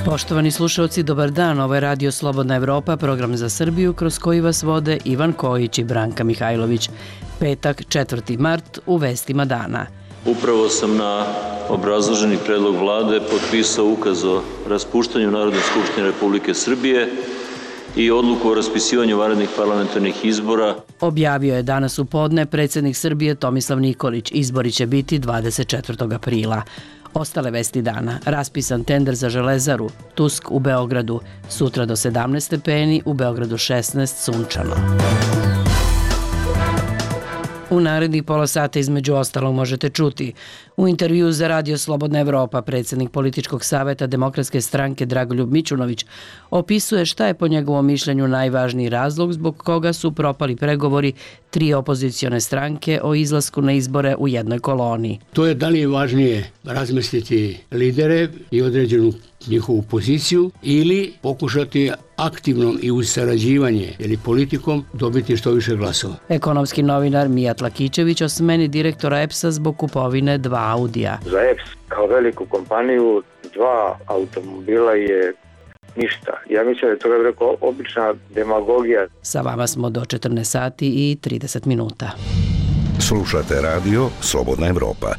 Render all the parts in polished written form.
Poštovani slušalci, dobar dan. Ovo je Radio Slobodna Evropa, program za Srbiju kroz koji vas vode Ivan Kojić i Branka Mihajlović. Petak, 4. mart, u vestima dana. Upravo sam na obrazloženi predlog vlade potpisao ukaz o raspuštanju Narodne skupštine Republike Srbije i odluku o raspisivanju vanrednih parlamentarnih izbora. Objavio je danas u podne predsjednik Srbije Tomislav Nikolić. Izbori će biti 24. aprila. Ostale vesti dana. Raspisan tender za Železaru, Tusk u Beogradu, sutra do 17 stepeni, u Beogradu 16, sunčano. U narednih pola sata između ostalog možete čuti: u intervjuu za Radio Slobodna Evropa predsjednik političkog saveta Demokratske stranke Dragoljub Mićunović opisuje šta je po njegovom mišljenju najvažniji razlog zbog koga su propali pregovori tri opozicione stranke o izlasku na izbore u jednoj koloni. To je da li je važnije razmestiti lidere i određenu njihovu poziciju ili pokušati aktivnom i uz sarađivanje ili politikom dobiti što više glasova. Ekonomski novinar Mijat Lakićević o smeni direktora EPS-a zbog kupovine 2 Audija. Za EPS kao veliku kompaniju 2 automobila je ništa. Ja mislim da je to rekao obična demagogija. Sa vama smo do 14 sati i 30 minuta. Slušate Radio Slobodna Evropa.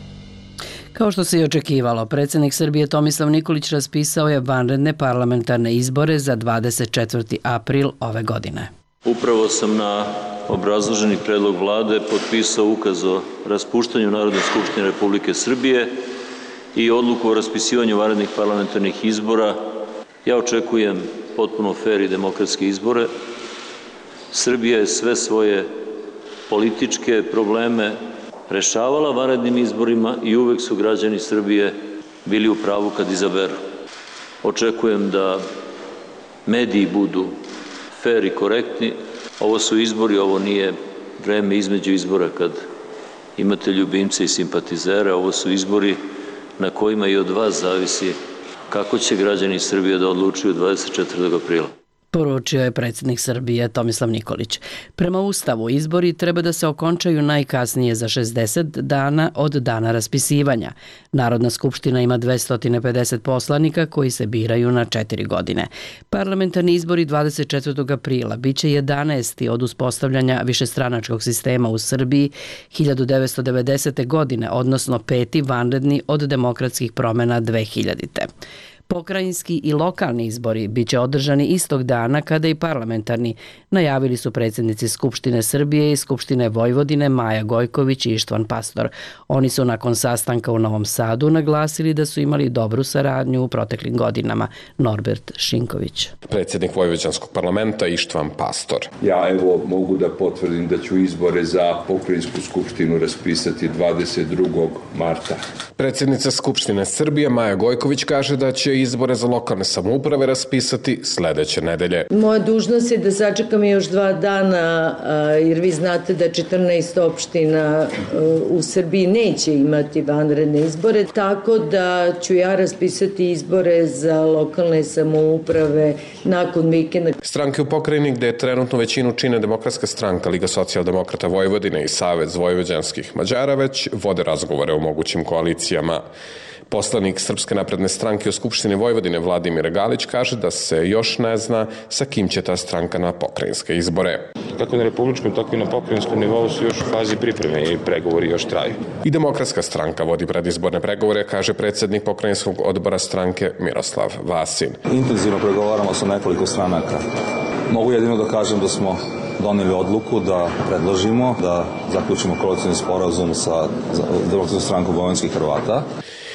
Kao što se i očekivalo, predsjednik Srbije Tomislav Nikolić raspisao je vanredne parlamentarne izbore za 24. april ove godine. Upravo sam na obrazloženi predlog vlade potpisao ukaz o raspuštanju Narodne skupštine Republike Srbije i odluku o raspisivanju vanrednih parlamentarnih izbora. Ja očekujem potpuno fer i demokratske izbore. Srbija je sve svoje političke probleme rešavala vanrednim izborima i uvek su građani Srbije bili u pravu kad izaberu. Očekujem da mediji budu fer i korektni. Ovo su izbori, ovo nije vreme između izbora kad imate ljubimce i simpatizere. Ovo su izbori na kojima i od vas zavisi kako će građani Srbije da odlučuju 24. aprila. Poručio je predsjednik Srbije Tomislav Nikolić. Prema Ustavu, izbori treba da se okončaju najkasnije za 60 dana od dana raspisivanja. Narodna skupština ima 250 poslanika koji se biraju na 4 godine. Parlamentarni izbori 24. aprila biće 11. od uspostavljanja višestranačkog sistema u Srbiji 1990. godine, odnosno 5. vanredni od demokratskih promjena 2000. Pokrajinski i lokalni izbori biće održani istog dana kada i parlamentarni, najavili su predsjednici Skupštine Srbije i Skupštine Vojvodine Maja Gojković i Ištvan Pastor. Oni su nakon sastanka u Novom Sadu naglasili da su imali dobru saradnju u proteklim godinama. Norbert Šinković. Predsjednik Vojvođanskog parlamenta Ištvan Pastor. Ja mogu da potvrdim da ću izbore za pokrajinsku skupštinu raspisati 22. marta. Predsjednica Skupštine Srbije Maja Gojković kaže da će izbore za lokalne samouprave raspisati sledeće nedelje. Moja dužnost je da sačekam još 2 dana, jer vi znate da 14 opština u Srbiji neće imati vanredne izbore, tako da ću ja raspisati izbore za lokalne samouprave nakon vikenda. Stranke u pokrajini gde trenutno većinu čine Demokratska stranka, Liga socijaldemokrata Vojvodine i Savez vojvođanskih Mađara već vode razgovore o mogućim koalicijama. Poslanik Srpske napredne stranke u Skupštini Vojvodine Vladimir Galić kaže da se još ne zna sa kim će ta stranka na pokrajinske izbore. Kako na republičkom, tako i na pokrajinskom nivou su još u fazi pripreme i pregovori još traju. I Demokratska stranka vodi predizborne pregovore, kaže predsjednik pokrajinskog odbora stranke Miroslav Vasin. Intenzivno pregovaramo sa nekoliko stranaka. Mogu jedino da kažem da smo doneli odluku da predložimo, da zaključimo koalicioni sporazum sa Demokratskom strankom vojvođanskih Hrvata.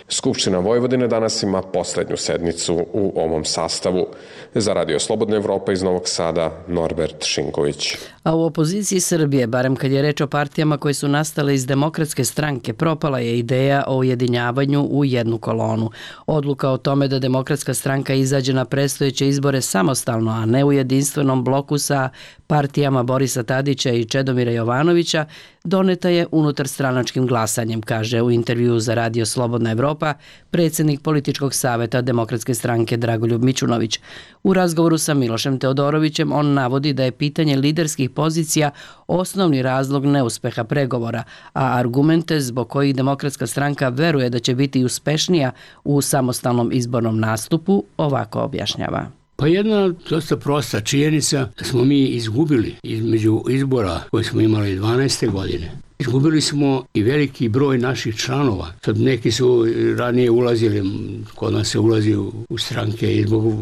Skupština Vojvodine danas ima poslednju sednicu u ovom sastavu. Za Radio Slobodna Evropa iz Novog Sada, Norbert Šinković. A u opoziciji Srbije, barem kad je reč o partijama koje su nastale iz Demokratske stranke, propala je ideja o ujedinjavanju u jednu kolonu. Odluka o tome da Demokratska stranka izađe na predstojeće izbore samostalno, a ne u jedinstvenom bloku sa partijama Borisa Tadića i Čedomira Jovanovića, doneta je unutar stranačkim glasanjem, kaže u intervjuu za Radio Slobodna Evropa Evropa, predsjednik političkog saveta Demokratske stranke Dragoljub Mićunović. U razgovoru sa Milošem Teodorovićem on navodi da je pitanje liderskih pozicija osnovni razlog neuspeha pregovora, a argumente zbog kojih Demokratska stranka veruje da će biti uspešnija u samostalnom izbornom nastupu ovako objašnjava. Pa jedna dosta prosta činjenica da smo mi izgubili između izbora koje smo imali 12. godine. Izgubili smo i veliki broj naših članova. Sad neki su ranije ulazili, kod nas se ulazi u stranke i zbog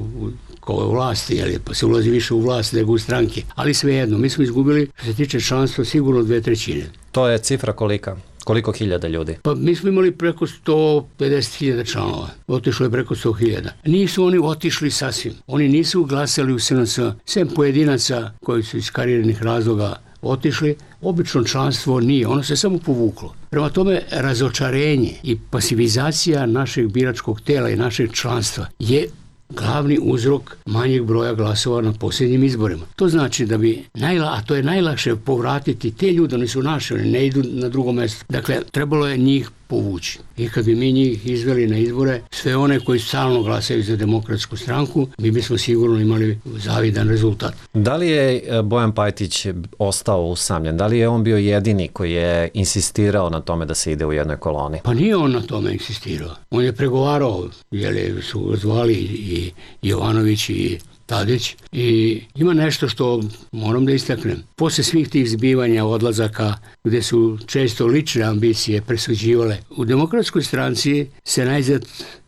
vlasti, pa se ulazi više u vlast nego u stranke. Ali svejedno, mi smo izgubili, što se tiče članstva, sigurno 2/3. To je cifra kolika? Koliko hiljada ljudi? Pa mi smo imali preko 150.000 članova. Otišlo je preko 100.000. Nisu oni otišli sasvim. Oni nisu glasali u SNS, sem pojedinaca koji su iz karijernih razloga otišli. Obično članstvo nije, ono se samo povuklo. Prema tome, razočarenje i pasivizacija našeg biračkog tela i našeg članstva je glavni uzrok manjeg broja glasova na posljednjim izborima. To znači da bi, a to je najlakše povratiti te ljude, oni su naši, oni ne idu na drugo mjesto. Dakle, trebalo je njih povući. I kad bi mi njih izveli na izbore, sve one koji stalno glasaju za Demokratsku stranku, mi bismo sigurno imali zavidan rezultat. Da li je Bojan Pajtić ostao usamljen? Da li je on bio jedini koji je insistirao na tome da se ide u jednoj koloni? Pa nije on na tome insistirao. On je pregovarao, jer su zvali i Jovanović i Tadić, i ima nešto što moram da istaknem. Posle svih tih zbivanja, odlazaka, gde su često lične ambicije presuđivale, u Demokratskoj stranci se najzad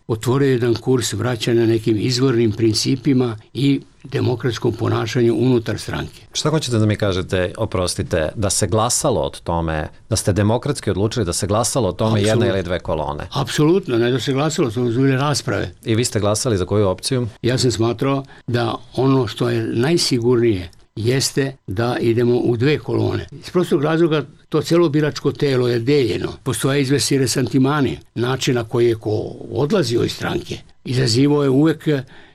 otvorio jedan kurs vraćanja nekim izvornim principima i demokratskom ponašanju unutar stranke. Šta hoćete da mi kažete, oprostite, da se glasalo o tome, da ste demokratski odlučili da se glasalo o tome jedna ili dve kolone? Apsolutno, ne da se glasalo, to su bile rasprave. I vi ste glasali za koju opciju? Ja sam smatrao da ono što je najsigurnije jeste da idemo u dve kolone. Iz prostog razloga to celo biračko telo je deljeno. Postoje izvesni resantimani, način na koji je ko odlazio iz stranke. Izazivao je uvek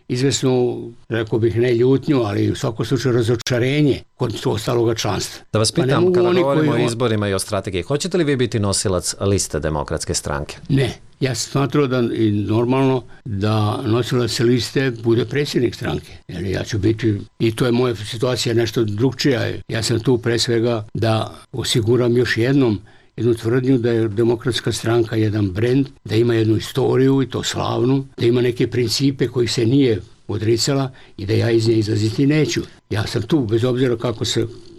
izvesno, rekao bih, ne ljutnju, ali u svakom slučaju razočarenje kod ostaloga članstva. Da vas pitam, kada govorimo o izborima i o strategiji, hoćete li vi biti nosilac liste Demokratske stranke? Ne. Ja sam smatrao da i normalno da nosilac liste bude predsjednik stranke. Jer ja ću biti, i to je moja situacija nešto drugčija. Ja sam tu pre svega da osiguram još jednu tvrdnju da je Demokratska stranka jedan brend, da ima jednu istoriju i to slavnu, da ima neke principe kojih se nije odricala i da ja iz nje izlaziti neću. Ja sam tu, bez obzira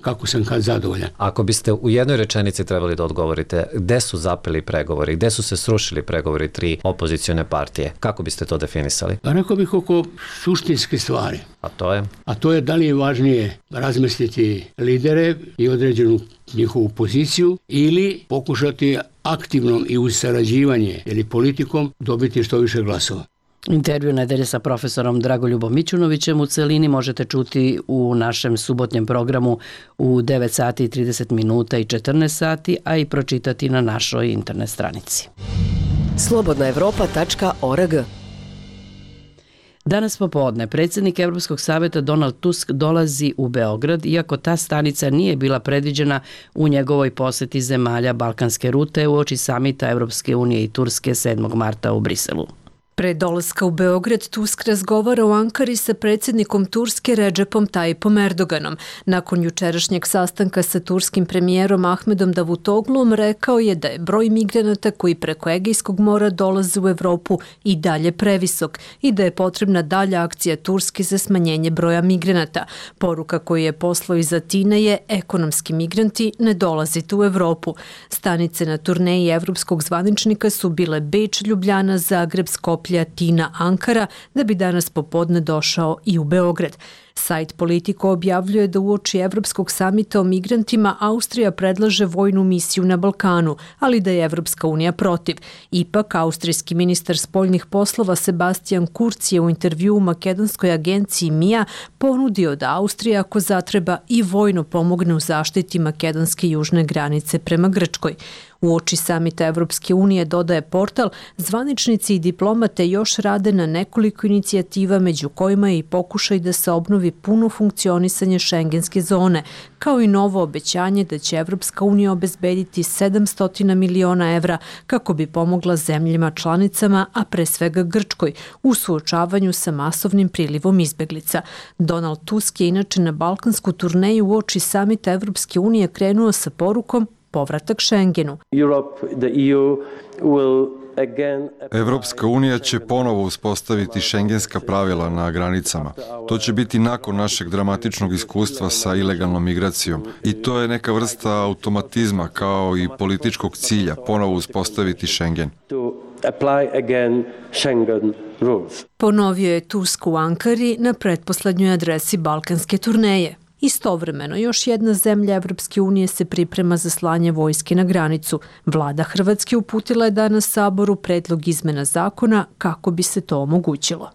kako sam kad zadovoljan. Ako biste u jednoj rečenici trebali da odgovorite, gde su zapeli pregovori, gde su se srušili pregovori tri opozicione partije, kako biste to definisali? Pa rekao bih oko suštinske stvari. A to je? A to je da li je važnije razmestiti lidere i određenu njihovu poziciju ili pokušati aktivnom i uz sarađivanje ili politikom dobiti što više glasova. Intervju nedelje sa profesorom Dragoljubom Mićunovićem u celini možete čuti u našem subotnjem programu u 9 sati i 30 minuta i 14 sati, a i pročitati na našoj internet stranici. Slobodnaevropa.org. Danas popodne predsjednik Evropskog saveta Donald Tusk dolazi u Beograd, iako ta stanica nije bila predviđena u njegovoj poseti zemalja Balkanske rute uoči samita Evropske unije i Turske 7. marta u Briselu. Pre dolaska u Beograd, Tusk razgovara u Ankari sa predsjednikom Turske Redžepom Tayyipom Erdoganom. Nakon jučerašnjeg sastanka sa turskim premijerom Ahmedom Davutoglom rekao je da je broj migranata koji preko Egejskog mora dolaze u Evropu i dalje previsok i da je potrebna dalja akcija Turske za smanjenje broja migranata. Poruka koju je poslao iz Atine je: ekonomski migranti, ne dolazite u Evropu. Stanice na turneji evropskog zvaničnika su bile Beč, Ljubljana, Zagreb, Skoplje, Atina, Ankara, da bi danas popodne došao i u Beograd. Sajt Politico objavljuje da uoči Evropskog samita o migrantima Austrija predlaže vojnu misiju na Balkanu, ali da je Evropska unija protiv. Ipak, austrijski ministar spoljnih poslova Sebastian Kurz je u intervjuu u makedonskoj agenciji MIA ponudio da Austrija, ako zatreba, i vojno pomogne u zaštiti makedonske južne granice prema Grčkoj. Uoči samita Evropske unije, dodaje portal, zvaničnici i diplomate još rade na nekoliko inicijativa, među kojima je i pokušaj da se obnovi obnovi puno funkcionisanje šengenske zone, kao i novo obećanje da će Evropska unija obezbediti 700 miliona evra kako bi pomogla zemljama članicama, a pre svega Grčkoj, u suočavanju sa masovnim prilivom izbeglica. Donald Tusk je inače na balkansku turneju uoči samita Evropske unije krenuo sa porukom povratak Šengenu. Evropska unija će ponovo uspostaviti šengenska pravila na granicama. To će biti nakon našeg dramatičnog iskustva sa ilegalnom migracijom. I to je neka vrsta automatizma kao i političkog cilja, ponovo uspostaviti Šengen. Ponovio je Tusk u Ankari na pretposlednjoj adresi balkanske turneje. Istovremeno, još jedna zemlja Evropske unije se priprema za slanje vojske na granicu. Vlada Hrvatske uputila je danas Saboru predlog izmena zakona kako bi se to omogućilo.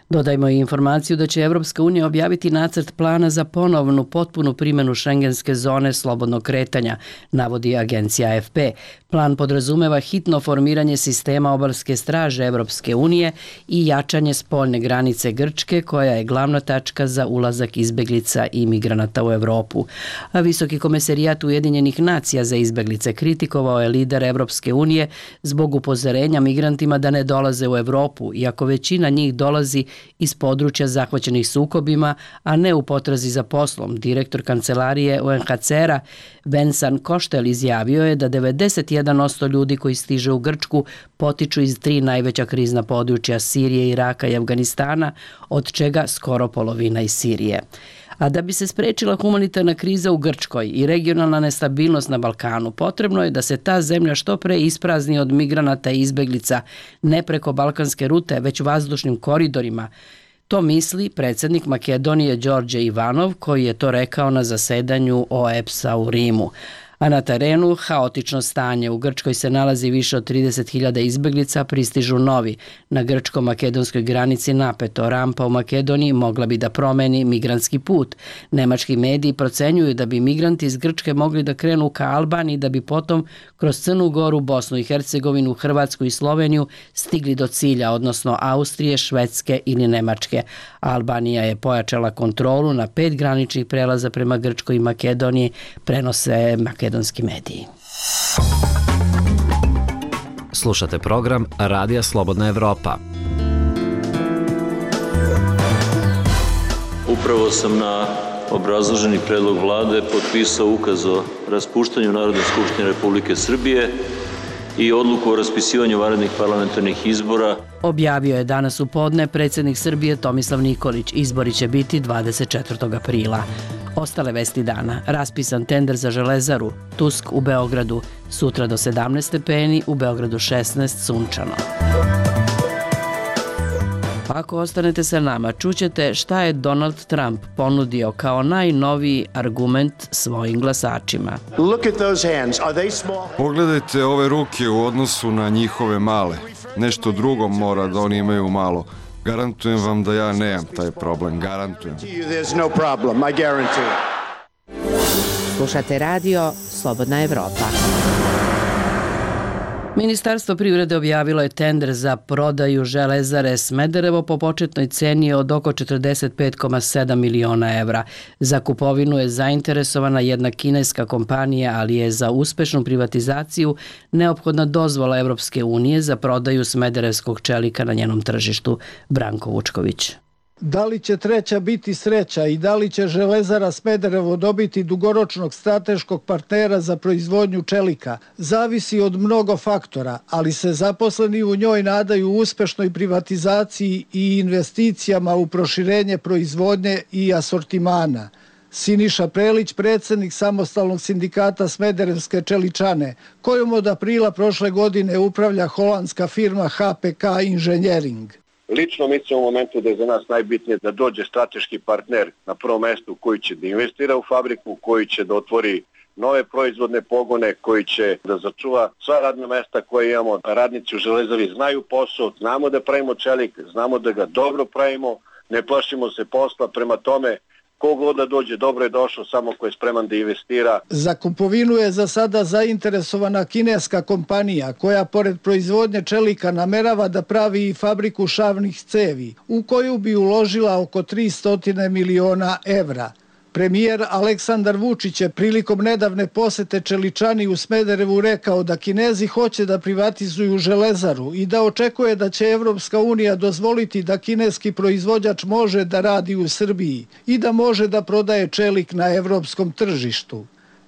Dodajmo i informaciju da će Evropska unija objaviti nacrt plana za ponovnu potpunu primjenu šengenske zone slobodnog kretanja, navodi agencija AFP. Plan podrazumeva hitno formiranje sistema obalske straže Evropske unije i jačanje spoljne granice Grčke, koja je glavna tačka za ulazak izbeglica i migranata u Evropu. A Visoki komesarijat Ujedinjenih nacija za izbeglice kritikovao je lider Evropske unije zbog upozorenja migrantima da ne dolaze u Evropu, iako većina njih dolazi iz područja zahvaćenih sukobima, a ne u potrazi za poslom. Direktor kancelarije UNHCR-a Vincent Koštel izjavio je da 91% ljudi koji stiže u Grčku potiču iz 3 najveća krizna područja Sirije, Iraka i Afganistana, od čega skoro polovina iz Sirije. A da bi se sprečila humanitarna kriza u Grčkoj i regionalna nestabilnost na Balkanu, potrebno je da se ta zemlja što pre isprazni od migranata i izbeglica, ne preko balkanske rute, već vazdušnim koridorima. To misli predsjednik Makedonije Đorđe Ivanov, koji je to rekao na zasedanju OEBS-a u Rimu. A na terenu haotično stanje. U Grčkoj se nalazi više od 30.000 izbeglica, pristižu novi. Na grčko-makedonskoj granici napeto. Rampa u Makedoniji mogla bi da promeni migrantski put. Nemački mediji procenjuju da bi migranti iz Grčke mogli da krenu ka Albaniji, da bi potom kroz Crnu Goru, Bosnu i Hercegovinu, Hrvatsku i Sloveniju stigli do cilja, odnosno Austrije, Švedske ili Nemačke. Albanija je pojačala kontrolu na 5 graničnih prelaza prema Grčkoj i Makedoniji, prenose makedonski mediji. Slušate program Radija Slobodna Evropa. Upravo sam na obrazloženi predlog vlade potpisao ukaz o raspuštanju Narodne skupštine Republike Srbije i odluku o raspisivanju vanrednih parlamentarnih izbora. Objavio je danas u podne predsjednik Srbije Tomislav Nikolić. Izbori će biti 24. aprila. Ostale vesti dana. Raspisan tender za Železaru. Tusk u Beogradu. Sutra do 17 stepeni, u Beogradu 16, sunčano. Ako ostanete sa nama, čućete šta je Donald Trump ponudio kao najnoviji argument svojim glasačima. Pogledajte ove ruke u odnosu na njihove male. Nešto drugo mora da oni imaju malo. Garantujem vam da ja nemam taj problem. Garantujem. Slušate radio Slobodna Evropa. Ministarstvo privrede objavilo je tender za prodaju Železare Smederevo po početnoj ceni od oko 45,7 miliona evra. Za kupovinu je zainteresovana jedna kineska kompanija, ali je za uspešnu privatizaciju neophodna dozvola Evropske unije za prodaju smederevskog čelika na njenom tržištu. Branko Vučković. Da li će treća biti sreća i da li će Železara Smederevo dobiti dugoročnog strateškog partnera za proizvodnju čelika, zavisi od mnogo faktora, ali se zaposleni u njoj nadaju uspešnoj privatizaciji i investicijama u proširenje proizvodnje i asortimana. Siniša Prelić, predsjednik samostalnog sindikata Smederevske čeličane, kojom od aprila prošle godine upravlja holandska firma HPK Inženjering. Lično mislim u momentu da je za nas najbitnije da dođe strateški partner na prvom mestu koji će da investira u fabriku, koji će da otvori nove proizvodne pogone, koji će da začuva sva radna mesta koje imamo. Radnici u Železari znaju posao, znamo da pravimo čelik, znamo da ga dobro pravimo, ne plašimo se posla, prema tome Kogo da dođe, dobro je došao, samo ko je spreman da investira. Za kupovinu je za sada zainteresovana kineska kompanija koja pored proizvodnje čelika namerava da pravi i fabriku šavnih cevi u koju bi uložila oko 300 miliona evra. Premijer Aleksandar Vučić je prilikom nedavne posete Čeličani u Smederevu rekao da Kinezi hoće da privatizuju železaru i da očekuje da će Evropska unija dozvoliti da kineski proizvođač može da radi u Srbiji i da može da prodaje čelik na evropskom tržištu.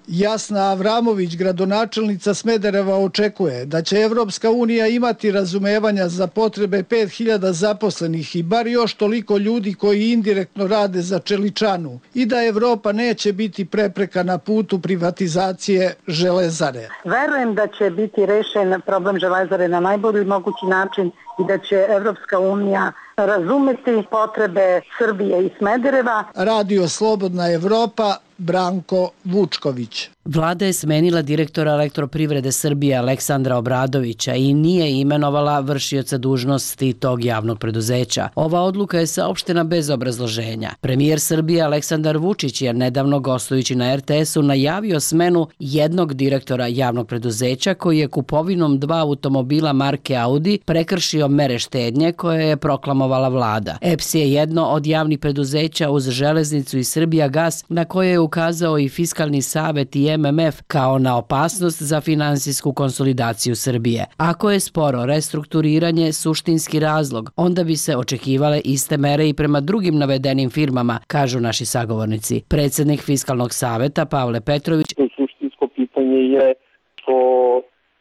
Jasna Avramović, gradonačelnica Smedereva, očekuje da će Evropska unija imati razumevanja za potrebe 5000 zaposlenih i bar još toliko ljudi koji indirektno rade za Čeličanu i da Evropa neće biti prepreka na putu privatizacije železare. Verujem da će biti rešen problem železare na najbolji mogući način i da će Evropska unija razumeti potrebe Srbije i Smedereva. Radio Slobodna Evropa, Branko Vučković. Vlada je smenila direktora Elektroprivrede Srbije Aleksandra Obradovića i nije imenovala vršioca dužnosti tog javnog preduzeća. Ova odluka je saopštena bez obrazloženja. Premijer Srbije Aleksandar Vučić je nedavno gostujući na RTS-u najavio smenu jednog direktora javnog preduzeća koji je kupovinom 2 automobila marke Audi prekršio mere štednje koje je proklamovala vlada. EPS je jedno od javnih preduzeća uz železnicu i Srbijagas na koje je ukazao i Fiskalni savet i MMF kao na opasnost za finansijsku konsolidaciju Srbije. Ako je sporo restrukturiranje suštinski razlog, onda bi se očekivale iste mere i prema drugim navedenim firmama, kažu naši sagovornici. Predsednik Fiskalnog saveta Pavle Petrović. Suštinsko pitanje je što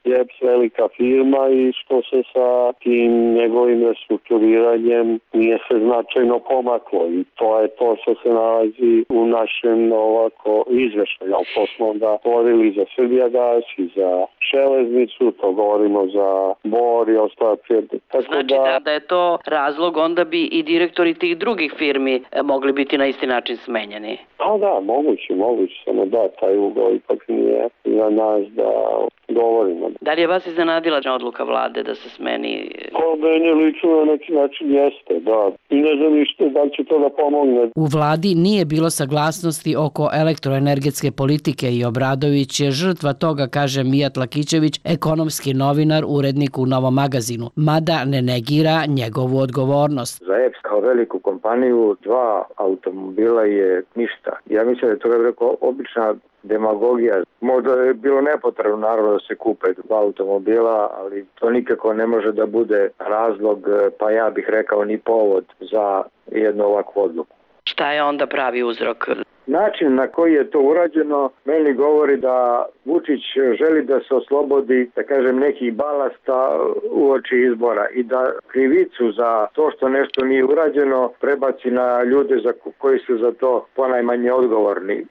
je EPS velika firma i što se sa tim njegovim restrukturiranjem nije se značajno pomaklo i to je to što se nalazi u našem izveštaju. To smo onda govorili za Srbijagas i za železnicu, to govorimo za Bor i ostale prijedne. Znači da je to razlog, onda bi i direktori tih drugih firmi mogli biti na isti način smenjeni. Da, moguće, samo da, taj ugao ipak nije za nas da govorimo. Da li je vas iznenadila odluka vlade da se smeni? Meni lično na neki način jeste, da. I ne znam ništa da će to da pomogne. U vladi nije bilo saglasnosti oko elektroenergetske politike i Obradović je žrtva toga, kaže Mijat Lakićević, ekonomski novinar, urednik u Novom magazinu, mada ne negira njegovu odgovornost. Za EPS kao veliku kompaniju 2 automobila je ništa. Ja mislim da je to rekao obična demagogija. Možda je bilo nepotrebno naravno da se kupe 2 automobila, ali to nikako ne može da bude razlog, pa ja bih rekao ni povod za jednu ovakvu odluku. Šta je onda pravi uzrok? Način na koji je to urađeno meni govori da Vučić želi da se oslobodi, da kažem, nekih balasta uoči izbora i da krivicu za to što nešto nije urađeno prebaci na ljude koji su za to ponajmanje odgovorni.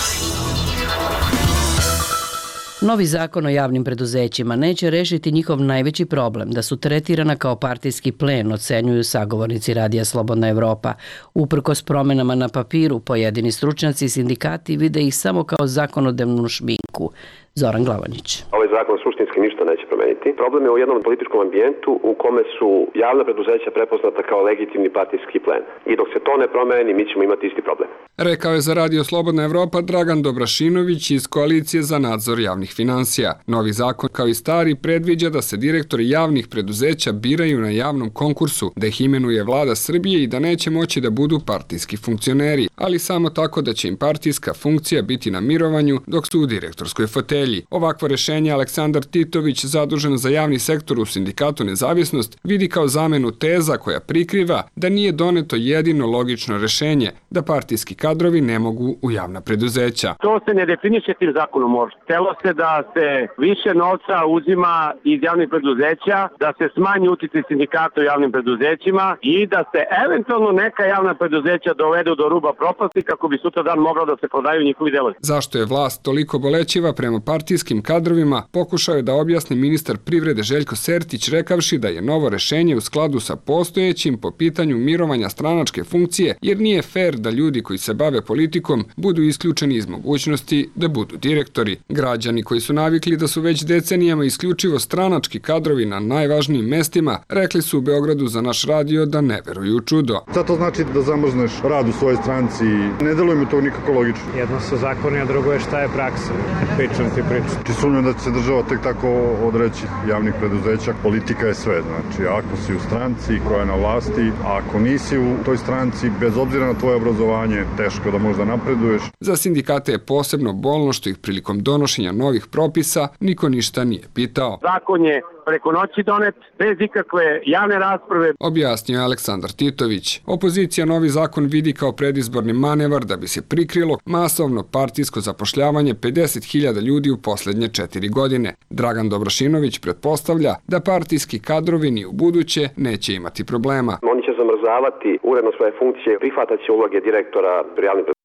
Novi zakon o javnim preduzećima neće rešiti njihov najveći problem, da su tretirana kao partijski plen, ocenjuju sagovornici Radija Slobodna Evropa. Uprkos promenama na papiru, pojedini stručnjaci i sindikati vide ih samo kao zakonodavnu šminku. Zoran Glavanić. Ovaj zakon suštinski ništa neće promeniti. Problem je u jednom političkom ambijentu u kome su javna preduzeća prepoznata kao legitimni partijski plen. I dok se to ne promeni, mi ćemo imati isti problem. Rekao je za Radio Slobodna Evropa Dragan Dobrašinović iz Koalicije za nadzor javnih finansija. Novi zakon, kao i stari, predviđa da se direktori javnih preduzeća biraju na javnom konkursu, da ih imenuje vlada Srbije i da neće moći da budu partijski funkcioneri, ali samo tako da će im partijska funkcija biti na mirovanju dok su u direktorskoj fotelji. Ovakvo rešenje Aleksandar Titović, zadužen za javni sektor u Sindikatu Nezavisnost, vidi kao zamenu teza koja prikriva da nije doneto jedino logično rešenje, da partijski kadrovi ne mogu u javna preduzeća. To se ne definiše tim zakonom možda. Htelo se da se više novca uzima iz javnih preduzeća, da se smanji uticaj sindikata u javnim preduzećima i da se eventualno neka javna preduzeća dovedu do ruba propasti kako bi sutra dan moglo da se prodaju njihovi delovi. Zašto je vlast toliko bolećiva prema partijskim kadrovima, pokušao je da objasni ministar privrede Željko Sertić, rekavši da je novo rešenje u skladu sa postojećim po pitanju mirovanja stranačke funkcije, jer nije fair da ljudi koji se bave politikom budu isključeni iz mogućnosti da budu direktori. Građani koji su navikli da su već decenijama isključivo stranački kadrovi na najvažnijim mestima, rekli su u Beogradu za naš radio da ne veruju u čudo. Šta to znači da zamrzneš rad u svojoj stranci? Ne deluje mi to nikako logično. Jedno su zakoni, a drugo je šta je praksa. Pričam ti priču. Či sumnjam da će se država tek tako odreći javnih preduzeća. Politika je sve, znači ako si u stranci koja je na vlasti, a ako nisi u toj stranci, bez obzira na tvoje obrazovanje, teško da možda napreduješ. Za sindikate je posebno bolno što ih prilikom donošenja novih propisa niko ništa nije pitao. Zakon je preko noći donet, bez ikakve javne rasprave. Objasnio je Aleksandar Titović. Opozicija novi zakon vidi kao predizborni manevar da bi se prikrilo masovno partijsko zapošljavanje 50.000 ljudi u poslednje 4 godine. Dragan Dobrašinović pretpostavlja da partijski kadrovi ni u buduće neće imati problema. Oni će zamrzavati uredno svoje funkcije, prihvataće uloge direktora javnih preduzeća,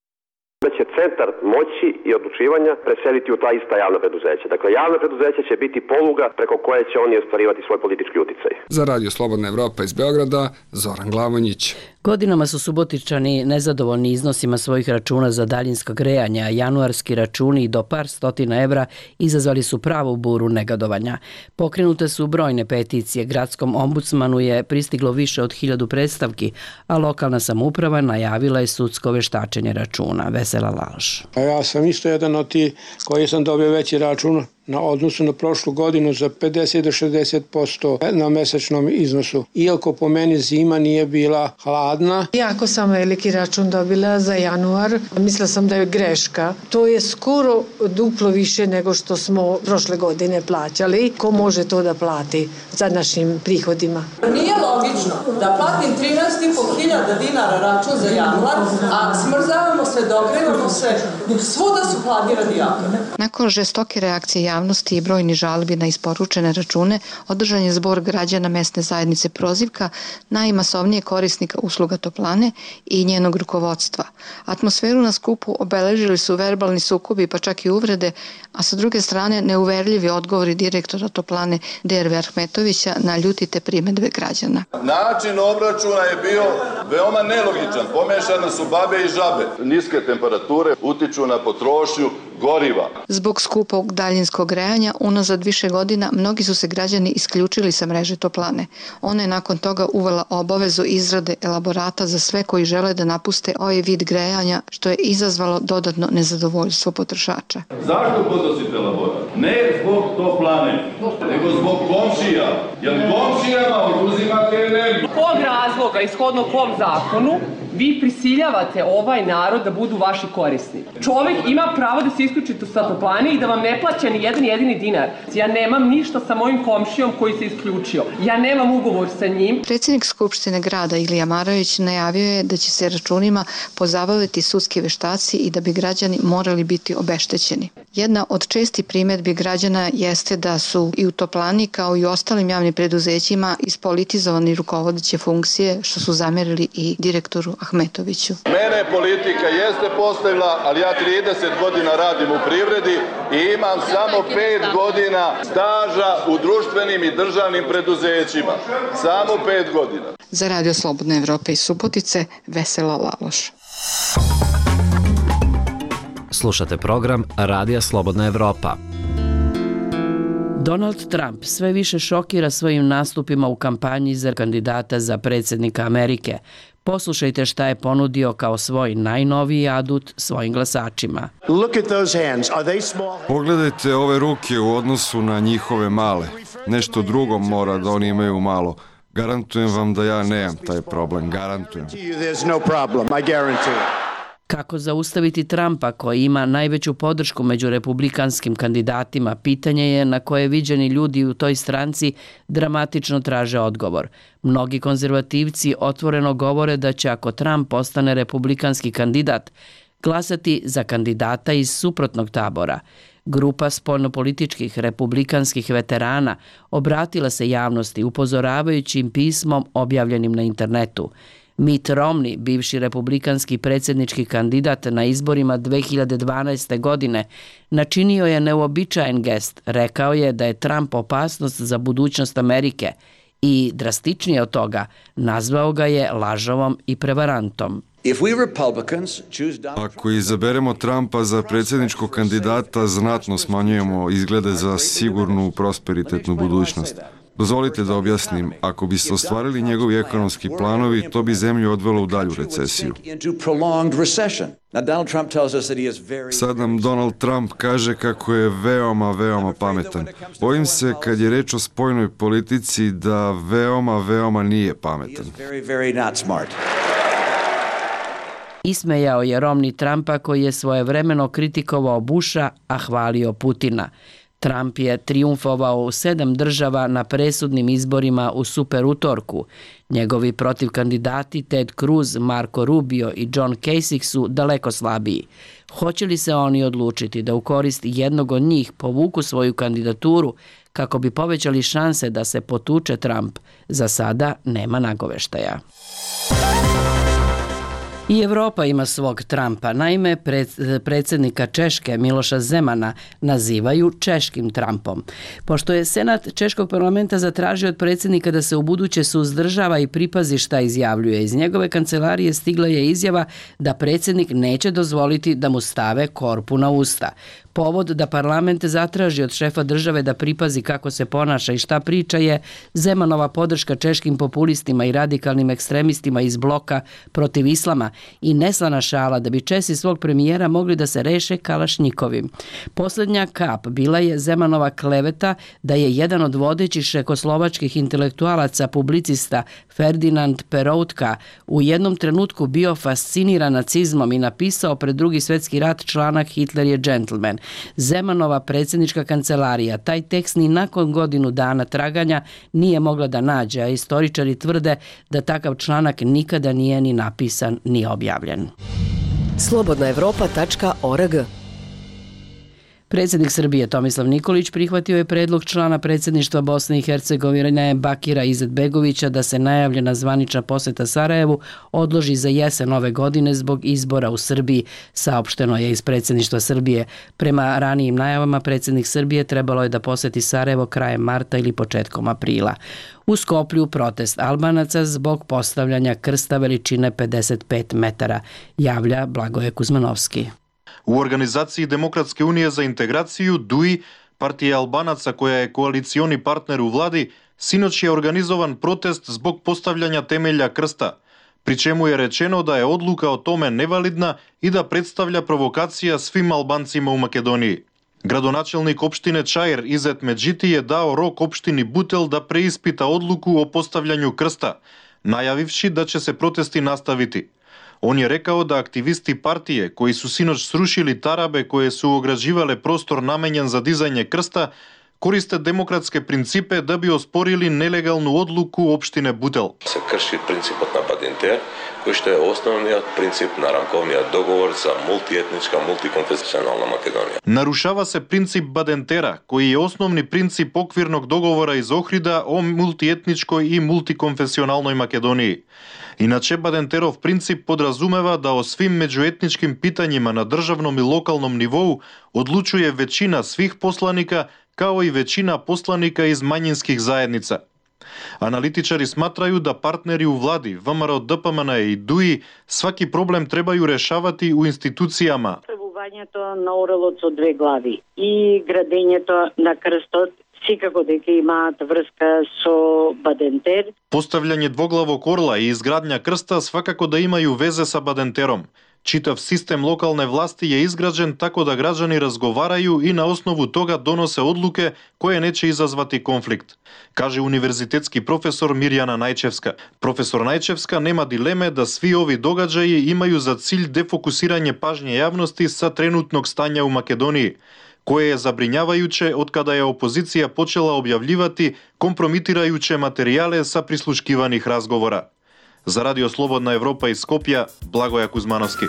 da će centar moći i odlučivanja preseliti u ta ista javna preduzeća. Dakle, javna preduzeća će biti poluga preko koje će oni ostvarivati svoj politički uticaj. Za Radio Slobodna Evropa iz Beograda, Zoran Glavonjić. Godinama su Subotičani nezadovoljni iznosima svojih računa za daljinsko grejanje, a januarski računi do par stotina evra izazvali su pravu buru negodovanja. Pokrenute su brojne peticije, gradskom ombudsmanu je pristiglo više od 1000 predstavki, a lokalna samouprava najavila je sudsko veštačenje računa. Vesela Laloš. Ja sam isto jedan od tih koji sam dobio veći račun na odnosu na prošlu godinu za 50 do 60% na mesečnom iznosu. Iako po meni zima nije bila hladna. Jako sam veliki račun dobila za januar. Mislila sam da je greška. To je skoro duplo više nego što smo prošle godine plaćali. Ko može to da plati za našim prihodima? Nije logično da platim 13.500 dinara račun za januar, a smrzavamo se, dogrevamo se, dok svuda su hladni radijatori. Nakon žestoke reakcije javnosti i brojni žalbi na isporučene račune, održan je zbor građana mesne zajednice Prozivka, najmasovnije korisnika usluga toplane i njenog rukovodstva. Atmosferu na skupu obeležili su verbalni sukobi pa čak i uvrede, a sa druge strane neuverljivi odgovori direktora toplane DRV Ahmetovića na ljutite primedbe građana. Način obračuna je bio veoma nelogičan, pomešane su babe i žabe. Niske temperature utiču na potrošnju goriva. Zbog skupog daljinskog grejanja unazad više godina mnogi su se građani isključili sa mreže toplane. Ona je nakon toga uvela obavezu izrade elaborata za sve koji žele da napuste ovaj vid grejanja, što je izazvalo dodatno nezadovoljstvo potrošača. Zašto podnosite elaborat? Ne zbog toplane, nego zbog komšija. Jer komšijama oduzimate energiju. Kog razloga, ishodno kom zakonu, vi prisiljavate ovaj narod da budu vaši korisnici? Čovek ima pravo da se isključi sa toplane i da vam ne plaća ni jedan jedini dinar. Ja nemam ništa sa mojim komšijom koji se isključio. Ja nemam ugovor sa njim. Predsjednik Skupštine grada Ilija Maravić najavio je da će se računima pozabaviti sudski veštaci i da bi građani morali biti obeštećeni. Jedna od čestih primedbi građana jeste da su i u toplani kao i u ostalim javnim preduzećima ispolitizovani rukovodeće funkcije, što su zamerili i direktoru Ahmetoviću. Mene politika jeste postavila, ali ja 30 godina radim u privredi i imam samo 5 godina staža u društvenim i državnim preduzećima. Samo 5 godina. Za Radio Slobodna Evropa iz Subotice, Vesela Laloš. Slušate program Radija Slobodna Evropa. Donald Trump sve više šokira svojim nastupima u kampanji za kandidata za predsjednika Amerike. Poslušajte šta je ponudio kao svoj najnoviji adut svojim glasačima. Pogledajte ove ruke u odnosu na njihove male. Nešto drugo mora da oni imaju malo. Garantujem vam da ja nemam taj problem. Garantujem. Kako zaustaviti Trumpa, koji ima najveću podršku među republikanskim kandidatima, pitanje je na koje viđeni ljudi u toj stranci dramatično traže odgovor. Mnogi konzervativci otvoreno govore da će, ako Trump postane republikanski kandidat, glasati za kandidata iz suprotnog tabora. Grupa spoljnopolitičkih republikanskih veterana obratila se javnosti upozoravajući im pismom objavljenim na internetu. Mitt Romney, bivši republikanski predsjednički kandidat na izborima 2012. godine, načinio je neuobičajen gest. Rekao je da je Trump opasnost za budućnost Amerike i, drastičnije od toga, nazvao ga je lažovom i prevarantom. Ako izaberemo Trumpa za predsjedničkog kandidata, znatno smanjujemo izglede za sigurnu prosperitetnu budućnost. Dozvolite da objasnim, ako bi se ostvarili njegovi ekonomski planovi, to bi zemlju odvelo u dalju recesiju. Sad nam Donald Trump kaže kako je veoma pametan. Bojim se, kad je reč o spoljnoj politici, da veoma nije pametan. Ismejao je Romney Trumpa koji je svojevremeno kritikovao Busha, a hvalio Putina. Trump je trijumfovao u 7 država na presudnim izborima u super utorku. Njegovi protivkandidati Ted Cruz, Marco Rubio i John Kasich su daleko slabiji. Hoće li se oni odlučiti da u korist jednog od njih povuku svoju kandidaturu kako bi povećali šanse da se potuče Trump? Za sada nema nagoveštaja. I Evropa ima svog Trumpa. Naime, predsjednika Češke Miloša Zemana nazivaju češkim Trumpom. Pošto je Senat Češkog parlamenta zatražio od predsjednika da se ubuduće suzdržava i pripazi šta izjavljuje, iz njegove kancelarije stigla je izjava da predsjednik neće dozvoliti da mu stave korpu na usta. Povod da parlament zatraži od šefa države da pripazi kako se ponaša i šta priča je Zemanova podrška češkim populistima i radikalnim ekstremistima iz bloka protiv islama i neslana šala da bi Česi svog premijera mogli da se reše Kalašnjikovim. Posljednja kap bila je Zemanova kleveta da je jedan od vodećih čekoslovačkih intelektualaca, publicista Ferdinand Peroutka u jednom trenutku bio fasciniran nacizmom i napisao pred Drugi svjetski rat članak Hitler je džentlmen. Zemanova predsjednička kancelarija taj tekst ni nakon godinu dana traganja nije mogla da nađe, a istoričari tvrde da takav članak nikada nije ni napisan ni objavljen. Slobodnaevropa.org. Predsjednik Srbije Tomislav Nikolić prihvatio je predlog člana predsjedništva Bosne i Hercegovine Bakira Izetbegovića da se najavljena zvanična posjeta Sarajevu odloži za jesen ove godine zbog izbora u Srbiji, saopšteno je iz predsjedništva Srbije. Prema ranijim najavama predsjednik Srbije trebalo je da posjeti Sarajevo krajem marta ili početkom aprila. U Skoplju protest Albanaca zbog postavljanja krsta veličine 55 metara, javlja Blagoje Kuzmanovski. U organizaciji Demokratske unije za integraciju DUI, partija Albanaca koja je koalicioni partner u vladi, sinoć je organizovan protest zbog postavljanja temelja krsta, pri čemu je rečeno da je odluka o tome nevalidna i da predstavlja provokacija svim Albancima u Makedoniji. Gradonačelnik opštine Čair Izet Medžiti je dao rok opštini Butel da preispita odluku o postavljanju krsta, najavivši da će se protesti nastaviti. On je rekao da aktivisti partije koji su sinoć srušili tarabe koje su ograđivale prostor namenjen za dizanje krsta, koriste demokratske principe da bi osporili nelegalnu odluku opštine Butel. Se krši principот na Badinter, koji što je osnovniят princip narankovniят dogovor za multietnička, multikonfesionalna Makedonija. Narušava se princip Badentera, koji je osnovni princip okvirnog dogovora iz Ohrida o multietničkoj i multikonfesionalnoj Makedoniji. Inače, Badenterov princip podrazumeva da o svim međuetničkim pitanjima na državnom i lokalnom nivou odlučuje većina svih poslanika, kao i većina poslanika iz manjinskih zajednica. Analitičari smatraju da partneri u vladi, ВМРО, ДПМН i DUI, svaki problem trebaju rešavati u institucijama. Пребувањето на орелот со две глави и градењето на крстот секако дека имаат врска со Бадентер. Постављање двоглавог орла и изградња крста свакако да имају везе са Бадентером. Читав систем локалне власти е изграđен тако да граđани разговарају и на основу тога доносе одлуке кои нече изазвати конфликт, каже универзитетски професор Мирјана Најчевска. Професор Најчевска нема дилеме да сви ови догаđаji имају за cilj дефокусирање пажње јавности са тренутног стања у Македонiji, koje je zabrinjavajuće od kada je opozicija počela objavljivati kompromitirajuće materijale sa prisluškivanih razgovora. Za Radio Slobodna Evropa iz Skopja, Blagoja Kuzmanovski.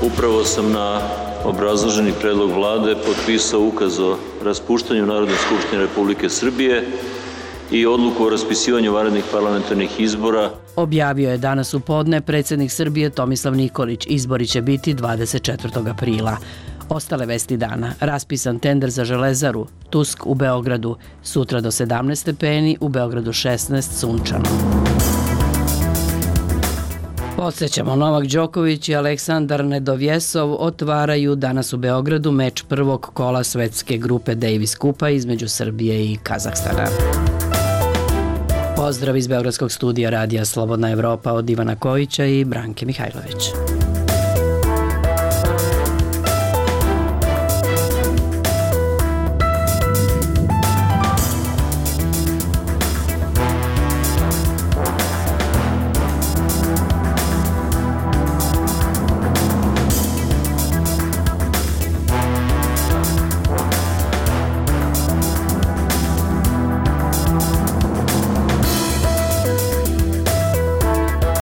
Upravo sam na obrazloženi predlog vlade potpisao ukaz o raspuštanju Narodne skupštine Republike Srbije i odluku o raspisivanju vanrednih parlamentarnih izbora. Objavio je danas u podne predsjednik Srbije Tomislav Nikolić. Izbori će biti 24. aprila. Ostale vesti dana. Raspisan tender za Železaru, Tusk u Beogradu, sutra do 17 stepeni, u Beogradu 16, sunčano. Podsjećamo, Novak Đoković i Aleksandar Nedovjesov otvaraju danas u Beogradu meč prvog kola svetske grupe Davis Kupa između Srbije i Kazahstana. Pozdrav iz Beogradskog studija radija Slobodna Evropa od Ivana Kojića i Branke Mihajlović.